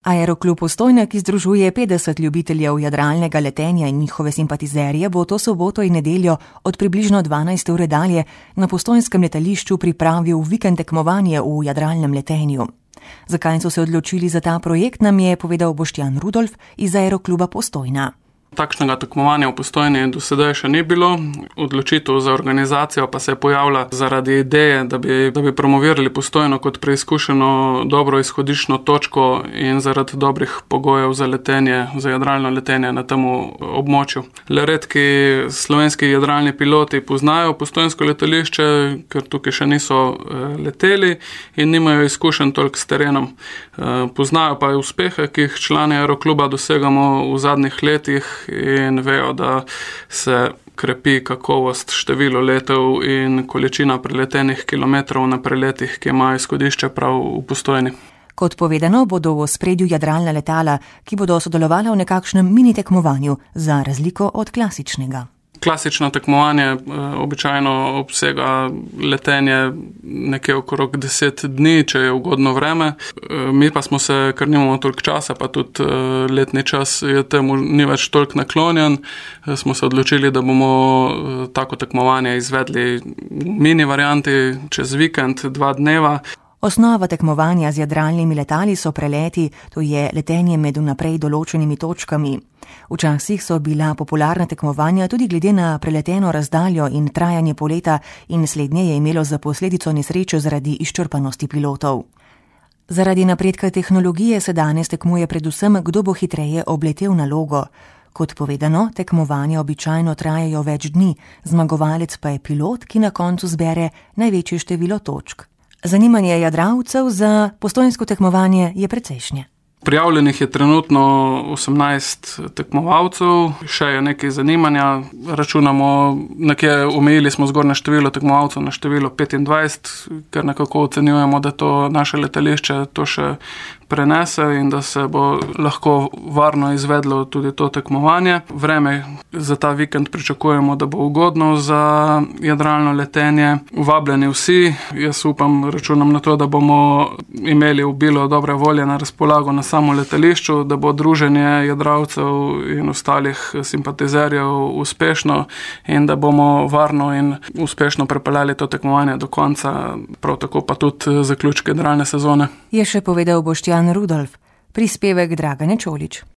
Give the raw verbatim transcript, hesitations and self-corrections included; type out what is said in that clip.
Aeroklub Postojna, ki združuje petdeset ljubiteljev jadralnega letenja in njihove simpatizerje, bo to soboto in nedeljo od približno dvanajste ure dalje na postojnskem letališču pripravil vikend tekmovanje v jadralnem letenju. Zakaj so se odločili za ta projekt, nam je povedal Boštjan Rudolf iz Aerokluba Postojna. Takšnega tekmovanja v Postojni do sedaj še ni bilo. Odločitev za organizacijo pa se je pojavila zaradi ideje, da bi, da bi promovirali Postojno kot preizkušeno dobro izhodiščno točko in zaradi dobrih pogojev za letenje, za jadralno letenje na tem območju. Le redki slovenski jadralni piloti poznajo postojnsko letališče, ker tukaj še niso leteli in nimajo izkušenj toliko s terenom. Poznajo pa uspehe, ki jih člani Aerokluba dosegamo v zadnjih letih, in vejo, da se krepi kakovost, število letov in količina preletenih kilometrov na preletih, ki imajo izhodišče prav v Postojni. Kot povedano, bodo v ospredju jadralna letala, ki bodo sodelovala v nekakšnem mini tekmovanju, za razliko od klasičnega. Klasično tekmovanje e, običajno obsega letenje nekje okrog deset dni, če je ugodno vreme. E, mi pa smo se, ker nimamo toliko časa, pa tudi e, letni čas je temu ni več toliko naklonjen, e, smo se odločili, da bomo e, tako tekmovanje izvedli v mini varianti čez vikend, dva dneva. Osnova tekmovanja z jadralnimi letali so preleti, to je letenje med vnaprej določenimi točkami. Včasih so bila popularna tekmovanja tudi glede na preleteno razdaljo in trajanje poleta in slednje je imelo za posledico nesrečo zaradi izčrpanosti pilotov. Zaradi napredka tehnologije se danes tekmuje predvsem, kdo bo hitreje obletel nalogo. Kot povedano, tekmovanja običajno trajajo več dni, zmagovalec pa je pilot, ki na koncu zbere največje število točk. Zanimanje jadralcev za postojnsko tekmovanje je precejšnje. Prijavljenih je trenutno osemnajst tekmovalcev, še je nekaj zanimanja. Računamo, nekje omejili smo zgornje število tekmovalcev na število petindvajset, ker nekako ocenjujemo, da to naše letališče to še prenese in da se bo lahko varno izvedlo tudi to tekmovanje. Vreme za ta vikend pričakujemo, da bo ugodno za jadralno letenje. Vabljeni vsi, jaz upam, računam na to, da bomo imeli obilo dobre volje na razpolago na samo letališču, da bo druženje jadralcev in ostalih simpatizerjev uspešno in da bomo varno in uspešno prepeljali to tekmovanje do konca, prav tako pa tudi zaključek jadralne sezone. Je še povedal Boštjan Rudolf, prispevek Dragane Čolić.